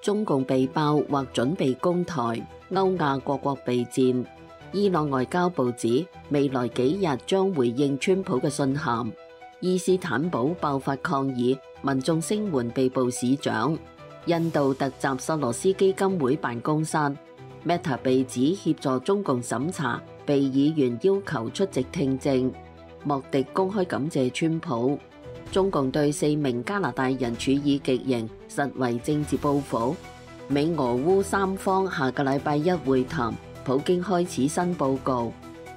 中共被爆或準備攻台，歐亞各國備戰。伊朗外交部指未來幾日將回應川普嘅信函。伊斯坦堡爆發抗議，民眾聲援被捕市長。印度突襲索羅斯基金會辦公室。Meta 被指協助中共審查，被議員要求出席聽證。莫迪公開感謝川普。中共對4名加拿大人處以極刑，實為政治報復。美俄烏三方下個禮拜一會談，普京開始新報告。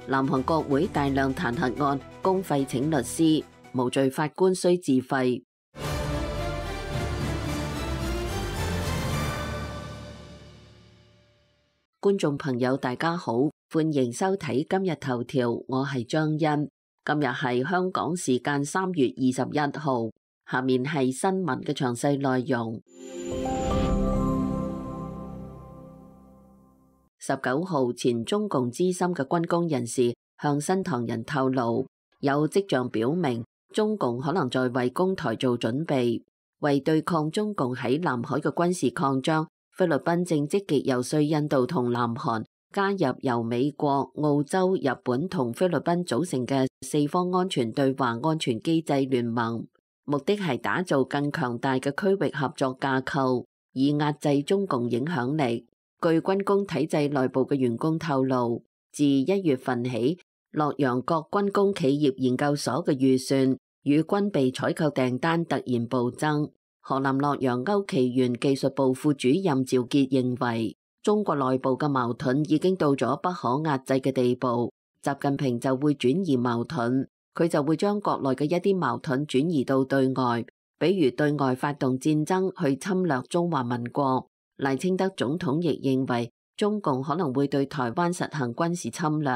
南韓國會大量彈劾案，公費請律師，無罪法官需自費。觀眾朋友大家好，歡迎收睇今日頭條，我係張欣。今日係香港時間3月21號，下面係新聞嘅詳細內容。19號，前中共資深嘅軍工人士向新唐人透露，有跡象表明中共可能在為攻台做準備。為對抗中共喺南海嘅軍事擴張，菲律賓正積極遊說印度同南韓加入由美國、澳洲、日本同菲律賓組成嘅4方安全對話安全機制聯盟，目的係打造更強大嘅區域合作架構，以壓制中共影響力。據軍工體制內部嘅員工透露，自1月份起，洛陽各軍工企業研究所嘅預算與軍備採購訂單突然暴增。河南洛陽歐奇源技術部副主任趙傑認為，中國內部嘅矛盾已經到咗不可壓制嘅地步，習近平就會轉移矛盾，佢就會將國內嘅一啲矛盾轉移到對外，比如對外發動戰爭去侵略中華民國。賴清德總統亦認為，中共可能會對台灣實行軍事侵略，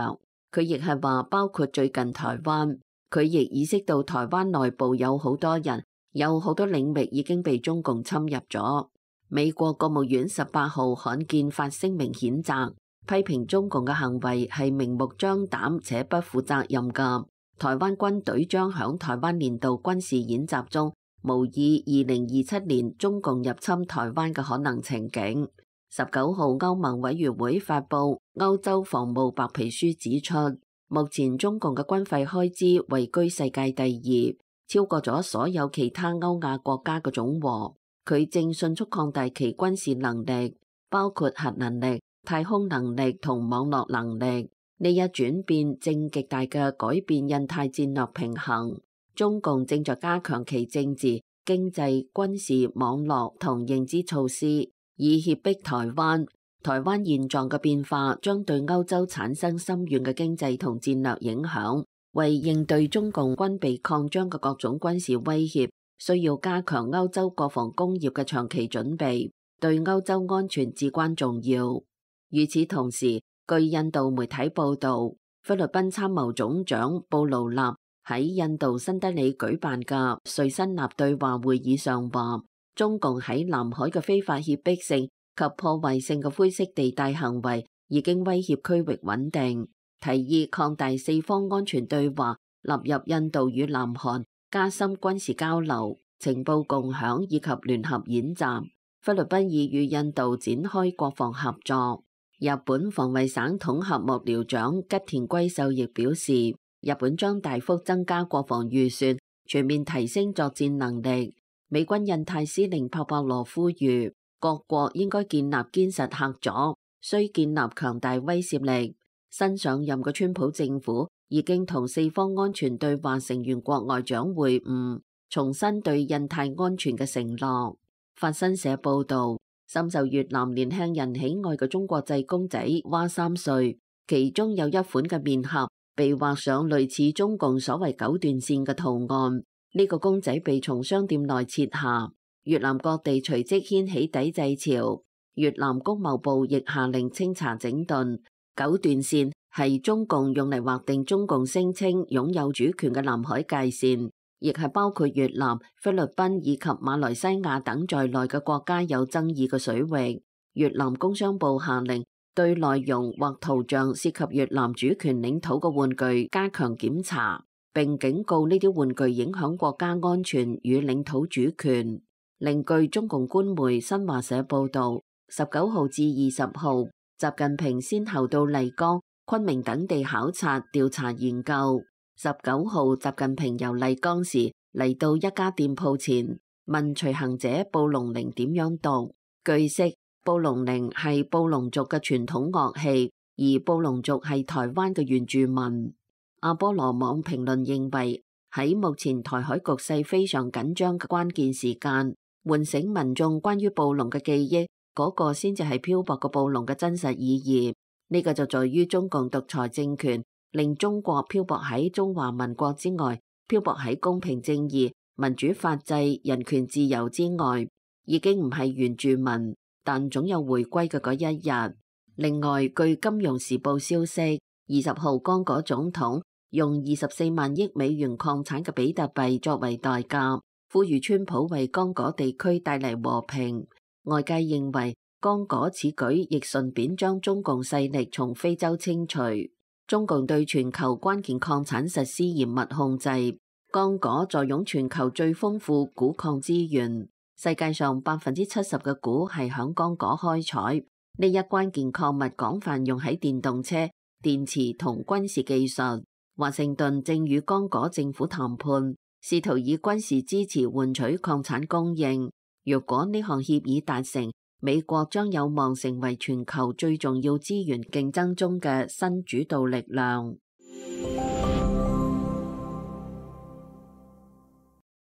佢亦係話包括最近台灣，佢亦意識到台灣內部有好多人，有好多領域已經被中共侵入咗。美國國務院18號罕見發聲明譴責，批評中共嘅行為係明目張膽且不負責任㗎。台灣軍隊將響台灣年度軍事演習中模擬2027年中共入侵台灣嘅可能情景。19號，歐盟委員會發布歐洲防務白皮書指出，目前中共嘅軍費開支位居世界第2，超過咗所有其他歐亞國家嘅總和。佢正迅速擴大其軍事能力，包括核能力、太空能力同網絡能力。呢一轉變正極大嘅改變印太戰略平衡。中共正在加強其政治、經濟、軍事、網絡同認知措施，以脅迫台灣。台灣現狀嘅變化將對歐洲產生深遠嘅經濟同戰略影響。為應對中共軍備擴張嘅各種軍事威脅，需要加強歐洲國防工業嘅長期準備，對歐洲安全至關重要。與此同時，據印度媒體報道，菲律賓參謀總長布勞納喺印度新德里舉辦嘅瑞辛納對話會議上話，中共喺南海嘅非法脅迫性及破壞性嘅灰色地帶行為已經威脅區域穩定，提議擴大4方安全對話，納入印度與南韓，加深軍事交流、情報共享以及聯合演習。菲律賓已與印度展開國防合作。日本防衛省統合幕僚長吉田龜秀亦表示，日本將大幅增加國防預算，全面提升作戰能力。美軍印太司令帕帕羅呼籲各國應該建立堅實嚇阻，需建立強大威懾力。新上任嘅川普政府已經同4方安全對話成員國外長會晤，重申對印太安全嘅承諾。法新社報道，深受越南年輕人喜愛嘅中國製公仔蛙3歲，其中有一款嘅面盒被畫上類似中共所謂9段線嘅圖案。呢個公仔被從商店內撤下，越南各地隨即掀起抵制潮。越南工貿部亦下令清查整頓。9段線係中共用嚟劃定中共聲稱擁有主權嘅南海界線，亦係包括越南、菲律賓以及馬來西亞等在內嘅國家有爭議嘅水域。越南工商部下令對內容或圖像涉及越南主權領土嘅玩具加強檢查，並警告呢啲玩具影響國家安全與領土主權。另據中共官媒新華社報導，19號至20號，習近平先後到麗江、昆明等地考察、調查研究。19號，習近平遊麗江時嚟到一家店鋪前，問隨行者布隆鈴點樣讀。據悉，布隆鈴係布農族嘅傳統樂器，而布農族係台灣嘅原住民。阿波羅網評論認為，喺目前台海局勢非常緊張嘅關鍵時間，喚醒民眾關於布農嘅記憶，嗰個先至係漂泊嘅布農嘅真實意義。呢個就在於中共獨裁政權令中國漂泊喺中華民國之外，漂泊喺公平正義、民主法治、人權自由之外，已經唔係原住民，但總有回歸嘅嗰一日。另外，據《金融時報》消息，20號剛果總統用24萬億美元礦產嘅比特幣作為代價，呼籲川普為剛果地區帶嚟和平。外界認為，剛果此舉亦順便將中共勢力從非洲清除。中共對全球關鍵礦產實施嚴密控制，剛果坐擁全球最豐富鈷礦資源，世界上70%嘅鈷係響剛果開採。呢一關鍵礦物廣泛用喺電動車、電池同軍事技術。華盛頓正與剛果政府談判，試圖以軍事支持換取礦產供應。若果呢項協議達成，美國將有望成為全球最重要資源競爭中嘅新主導力量。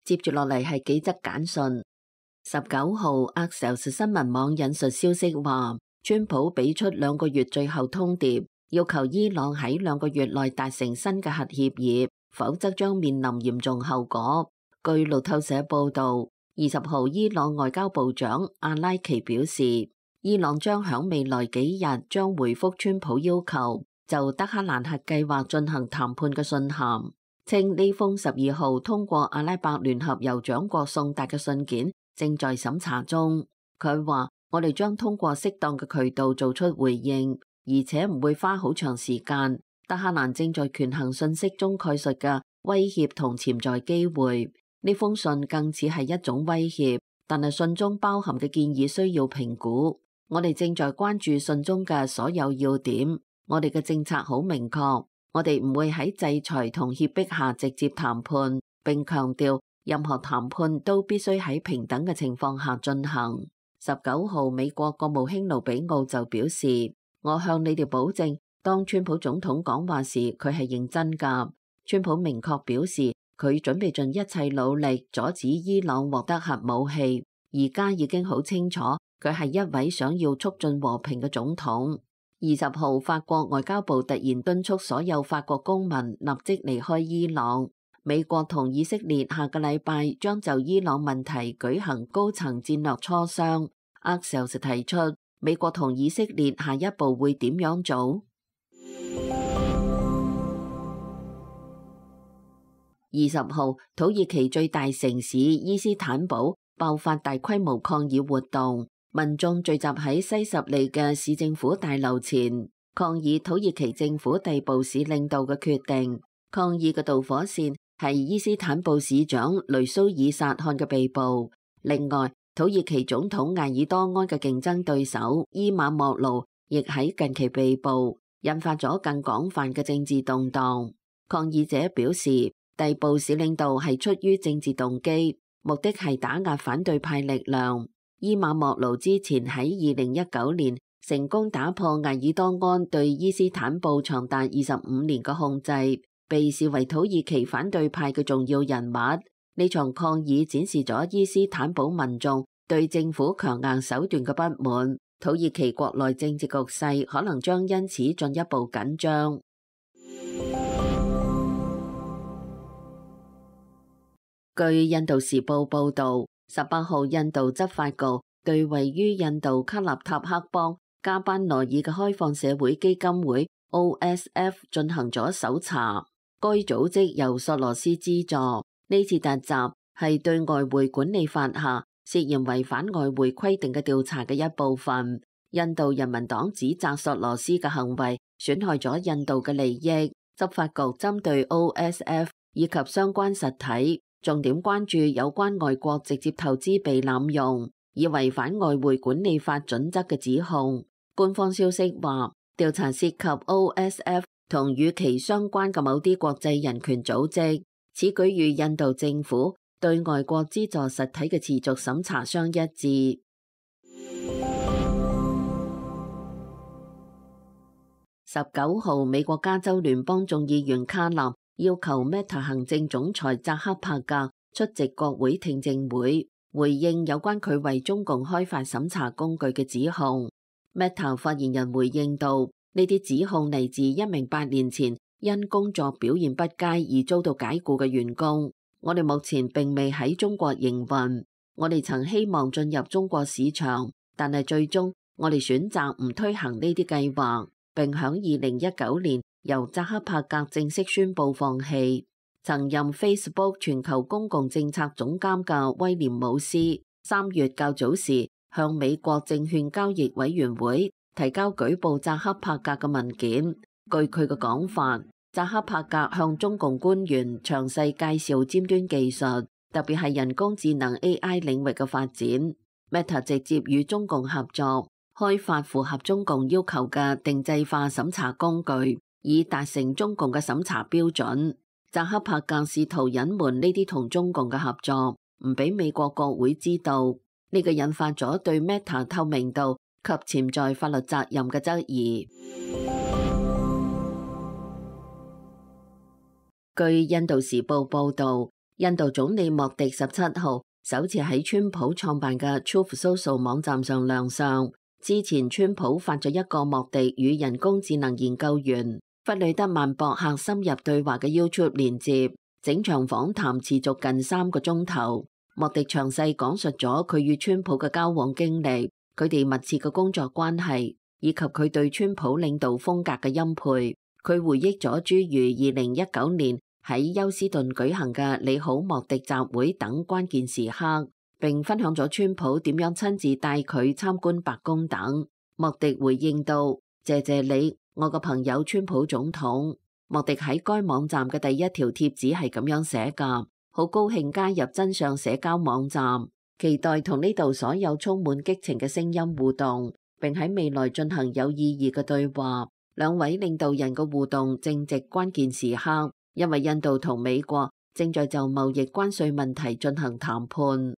接住落嚟係幾則簡訊。19號 Axios 新聞網引述消息話，川普俾出2個月最後通牒，要求伊朗喺2個月內達成新嘅核協議，否則將面臨嚴重後果。據路透社報導，20號伊朗外交部長阿拉奇表示，伊朗將響未來幾日將回覆川普要求就德黑蘭核計劃進行談判嘅信函，稱呢封12號通過阿拉伯聯合酋長國送達嘅信件正在審查中。佢話：我哋將通過適當嘅渠道做出回應，而且唔會花好長時間。德黑蘭正在權衡信息中概述嘅威脅同潛在機會。呢封信更似係一種威脅，但係信中包含嘅建議需要評估。我哋正在關注信中嘅所有要點。我哋嘅政策好明確，我哋唔會喺制裁同脅迫下直接談判，並強調任何談判都必須喺平等嘅情況下進行。19號，美國國務卿盧比奧就表示：我向你哋保證，當川普總統講話時，佢係認真㗎。川普明確表示，佢準備盡一切努力阻止伊朗獲得核武器。而家已經好清楚，佢係一位想要促進和平嘅總統。20號，法國外交部突然敦促所有法國公民立即離開伊朗。美國同以色列下個禮拜將就伊朗問題舉行高層戰略磋商。Axios 提出，美國同以色列下一步會點樣做？20號，土耳其最大城市伊斯坦堡爆發大規模抗議活動，民眾聚集喺西什利嘅市政府大樓前，抗議土耳其政府逮捕市領導嘅決定。抗議嘅導火線係伊斯坦布市長雷蘇爾薩汗嘅被捕。另外，土耳其總統艾爾多安嘅競爭對手伊馬莫盧亦喺近期被捕，引發咗更廣泛嘅政治動盪。抗議者表示，逮捕市領導係出於政治動機，目的係打壓反對派力量。伊馬莫盧之前喺2019年成功打破艾爾多安對伊斯坦布長達25年嘅控制，被視為土耳其反對派嘅重要人物。呢場抗議展示咗伊斯坦堡民眾對政府強硬手段嘅不滿，土耳其國內政治局勢可能將因此進一步緊張。據印度時報報導，18號印度執法局對位於印度卡納塔克邦加班羅爾嘅開放社會基金會 OSF 進行咗搜查。該組織由索羅斯資助。呢次突襲係對外匯管理法下涉嫌違反外匯規定嘅調查嘅一部分。印度人民黨指責索羅斯嘅行為損害咗印度嘅利益。執法局針對 OSF 以及相關實體重點關注有關外國直接投資被濫用，以違反外匯管理法準則嘅指控。官方消息話，調查涉及 OSF 同與其相關嘅某啲國際人權組織。此舉與印度政府對外國資助實體嘅持續審查相一致。19號，美國加州聯邦眾議員卡納要求 Meta 行政總裁扎克伯格出席國會聽證會，回應有關佢為中共開發審查工具嘅指控。Meta 發言人回應道：呢啲指控嚟自一名8年前因工作表現不佳而遭到解僱嘅員工。我哋目前並未喺中國營運，我哋曾希望進入中國市場，但係最終我哋選擇唔推行呢啲計劃。並響2019年由扎克伯格正式宣布放棄。曾任 Facebook 全球公共政策總監嘅威廉姆斯3月較早時向美國證券交易委員會提交舉報扎克伯格嘅文件。據佢嘅講法，扎克伯格向中共官員詳細介紹尖端技術，特別係人工智能 AI 領域嘅發展。Meta 直接與中共合作，開發符合中共要求嘅定制化審查工具，以達成中共嘅審查標準。扎克伯格試圖隱瞞呢啲同中共嘅合作，唔俾美國國會知道。呢個引發咗對 Meta 透明度及潛在法律責任嘅質疑。據印度時報報導，印度總理莫迪17號首次喺川普創辦嘅 Truth Social 網站上亮相。之前川普發咗一個莫迪與人工智能研究員弗里德曼博客深入對話嘅 YouTube 連接，整場訪談持續近3個鐘頭。莫迪詳細講述咗佢與川普嘅交往經歷，佢哋密切嘅工作關係，以及佢對川普領導風格嘅欽佩。佢回憶咗諸如2019年喺休斯頓舉行嘅你好莫迪集會等關鍵時刻，並分享咗川普點樣親自帶佢參觀白宮等。莫迪回應道：謝謝你，我個朋友川普總統。莫迪喺該網站嘅第一條貼紙係咁樣寫㗎：好高興加入真相社交網站，期待同呢度所有充滿激情嘅聲音互動，並喺未來進行有意義嘅對話。兩位領導人嘅互動正值關鍵時刻，因為印度同美國正在就貿易關稅問題進行談判。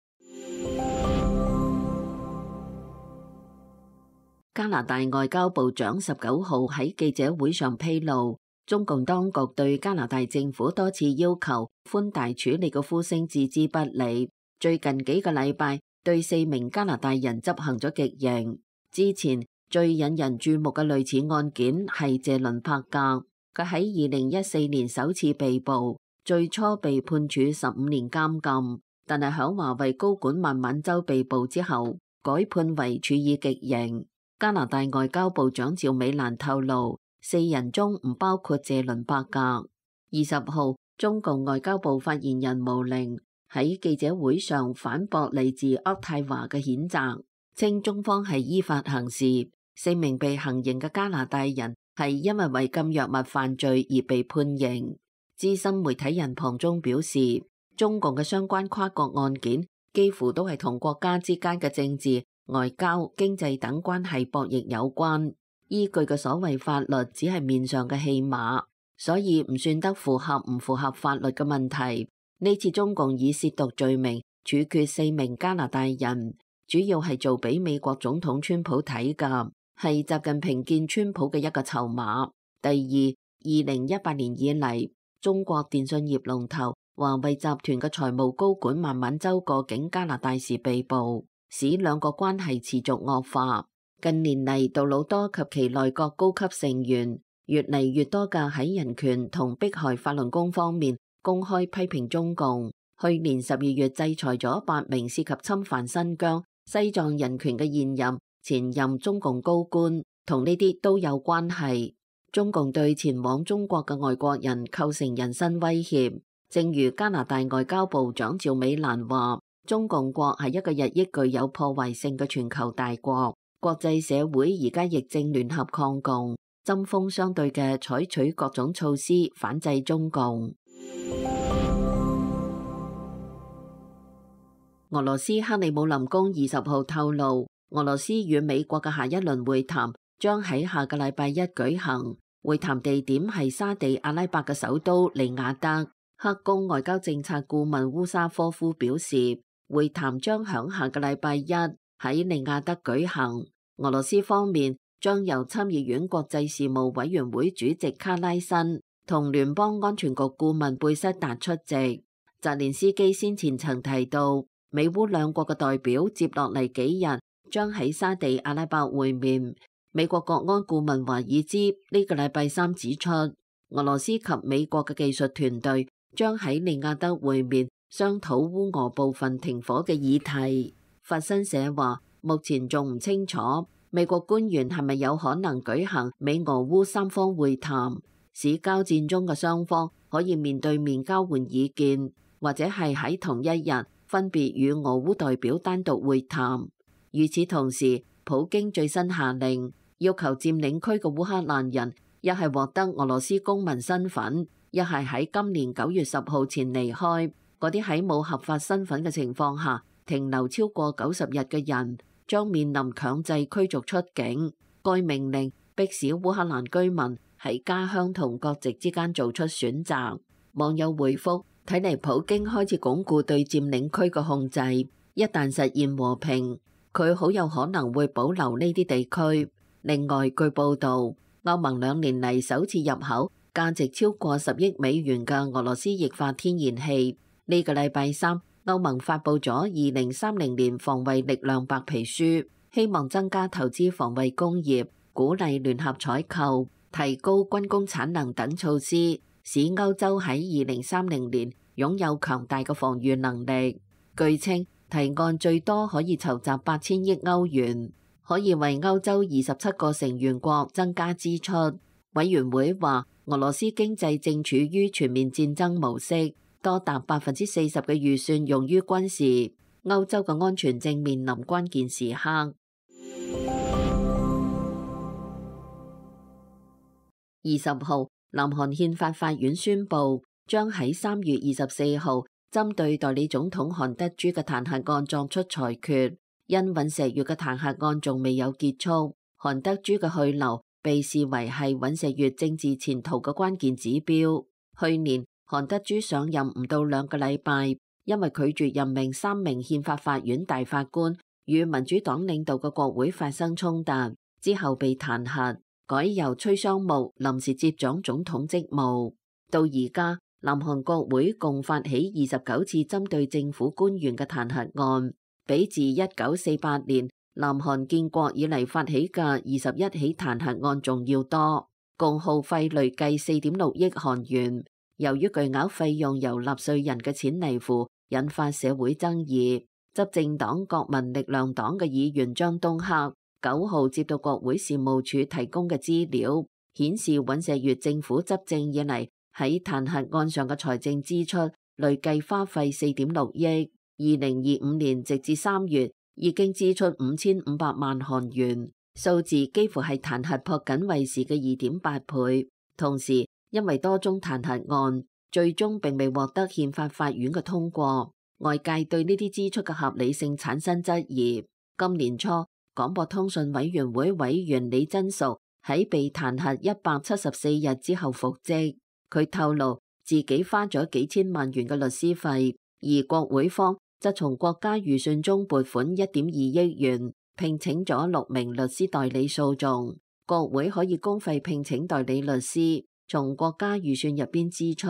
加拿大外交部長19號喺記者會上披露，中共當局對加拿大政府多次要求寬大處理嘅呼聲置之不理。最近幾個禮拜對4名加拿大人執行咗極刑。之前最引人注目嘅類似案件係謝倫伯格，佢喺2014年首次被捕，最初被判處15年監禁，但係響華為高管孟晚舟被捕之後，改判為處以極刑。加拿大外交部長趙美蘭透露，4人中唔包括謝倫伯格。20號，中共外交部發言人毛寧喺記者會上反駁嚟自渥太華嘅譴責，稱中方係依法行事。4名被行刑嘅加拿大人係因為違禁藥物犯罪而被判刑。資深媒體人龐中表示，中共嘅相關跨國案件幾乎都係同國家之間嘅政治、外交、經濟等關係博弈有關，依據嘅所謂法律只係面上嘅戲碼，所以唔算得符合唔符合法律嘅問題。呢次中共以褻瀆罪名處決4名加拿大人，主要係做俾美國總統川普睇㗎，係習近平見川普嘅一個籌碼。第二，2018年以嚟，中國電信業龍頭華為集團嘅財務高管孟晚舟過境加拿大時被捕，使兩國關係持續惡化。近年嚟，杜魯多及其內閣高級成員越嚟越多嘅喺人權同迫害法輪功方面公開批評中共。去年12月制裁咗8名涉及侵犯新疆、西藏人權嘅現任、前任中共高官，同呢啲都有關係。中共對前往中國嘅外國人構成人身威脅。正如加拿大外交部長趙美蘭話，中共國係一個日益具有破壞性嘅全球大國，國際社會而家亦正聯合抗共，針鋒相對嘅採取各種措施反制中共。俄羅斯克里姆林宮20號透露，俄羅斯與美國嘅下一輪會談將喺下個禮拜一舉行，會談地點係沙地阿拉伯嘅首都利雅得。克宮外交政策顧問烏沙科夫表示，會談將響下個禮拜一喺利雅得舉行。俄羅斯方面將由參議院國際事務委員會主席卡拉申同聯邦安全局顧問貝塞達出席。澤連斯基先前曾提到，美烏兩國嘅代表接落嚟幾日將喺沙地阿拉伯會面。美國國安顧問華爾茲呢個禮拜三指出，俄羅斯及美國嘅技術團隊將喺利雅得會面，商討烏俄部分停火嘅議題。法新社話，目前仲唔清楚美國官員係咪有可能舉行美俄烏三方會談，使交戰中嘅雙方可以面對面交換意見，或者係喺同一日分別與俄烏代表單獨會談。與此同時，普京最新下令要求佔領區嘅烏克蘭人一係獲得俄羅斯公民身份，一係喺今年9月10號前離開。嗰啲喺冇合法身份嘅情況下停留超過90日嘅人將面臨強制驅逐出境。該命令迫使烏克蘭居民喺家鄉同國籍之間做出選擇。網友回覆，睇嚟普京開始鞏固對佔領區嘅控制，一旦實現和平，佢好有可能會保留呢啲地區。另外，據報導，歐盟2年嚟首次入口價值超過10億美元嘅俄羅斯液化天然氣。呢個禮拜三，歐盟發布咗2030年防衛力量白皮書，希望增加投資防衛工業，鼓勵聯合採購，提高軍工產能等措施，使歐洲喺2030年擁有強大嘅防禦能力。據稱，提案最多可以籌集8000億歐元，可以為歐洲27個成員國增加支出。委員會話，俄羅斯經濟正處於全面戰爭模式，多達40%嘅預算用於軍事，歐洲嘅安全正面臨關鍵時刻。20號，南韓憲法法院宣布，將喺3月24號針對代理總統韓德洙嘅彈劾案作出裁決。因尹錫悅嘅彈劾案仲未有結束，韓德洙嘅去留被視為係尹錫悅政治前途嘅關鍵指標。去年韓德洙上任唔到2個禮拜，因為拒絕任命3名憲法法院大法官，與民主黨領導嘅國會發生衝突，之後被彈劾，改由崔尚木臨時接掌總統職務。到而家，南韓國會共發起29次針對政府官員嘅彈劾案，比自1948年南韓建國以嚟發起嘅21起彈劾案仲要多，共耗費累計4.6億韓元。由於巨額費用由納稅人嘅錢嚟付，引發社會爭議。執政黨國民力量黨嘅議員張東赫9號接到國會事務處提供嘅資料，顯示尹錫悅政府執政以嚟喺彈劾案上嘅財政支出累計花費4.6億，2025年直至3月已經支出5500萬韓元，數字幾乎係彈劾朴槿惠時嘅2.8倍。同時，因為多宗彈劾案最終並未獲得憲法法院嘅通過，外界對呢啲支出嘅合理性產生質疑。今年初，廣播通訊委員會委員李真淑喺被彈劾174日之後復職，佢透露自己花咗幾千萬元嘅律師費，而國會方則從國家預算中撥款1.2億元，聘請咗6名律師代理訴訟。國會可以公費聘請代理律師，從國家預算入邊支出。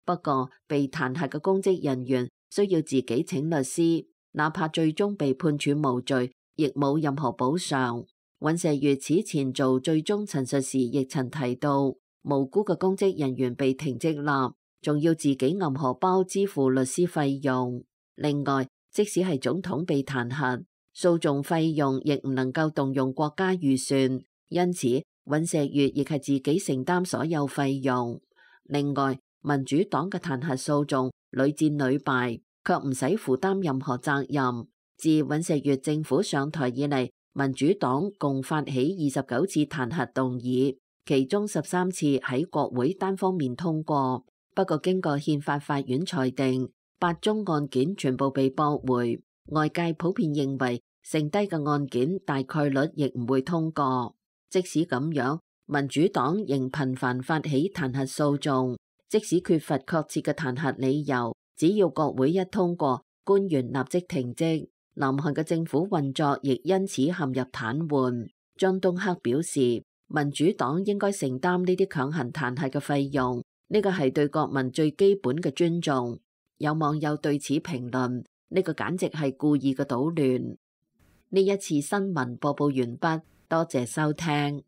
不過，被彈劾嘅公職人員需要自己請律師，哪怕最終被判處無罪，亦冇任何補償。尹錫悅此前做最終陳述時，亦曾提到，無辜嘅公職人員被停職立，仲要自己揞荷包支付律師費用。另外，即使係總統被彈劾，訴訟費用亦唔能夠動用國家預算，因此尹錫悅亦係自己承擔所有費用。另外，民主黨嘅彈劾訴訟屢戰屢敗，卻唔使負擔任何責任。自尹錫悅政府上台以嚟，民主黨共發起29次彈劾動議，其中13次喺國會單方面通過。不過經過憲法法院裁定，8宗案件全部被駁回。外界普遍認為剩低嘅案件大概率亦唔會通過。即使咁樣，民主黨仍頻繁發起彈劾訴訟，即使缺乏確切嘅彈劾理由，只要國會一通過，官員立即停職，南韓嘅政府運作亦因此陷入癱瘓。張東赫表示，民主黨應該承擔呢啲強行彈劾嘅費用，呢個係對國民最基本嘅尊重。有網友對此評論：呢個簡直係故意嘅搗亂。呢一次新聞播報完畢，多謝收聽。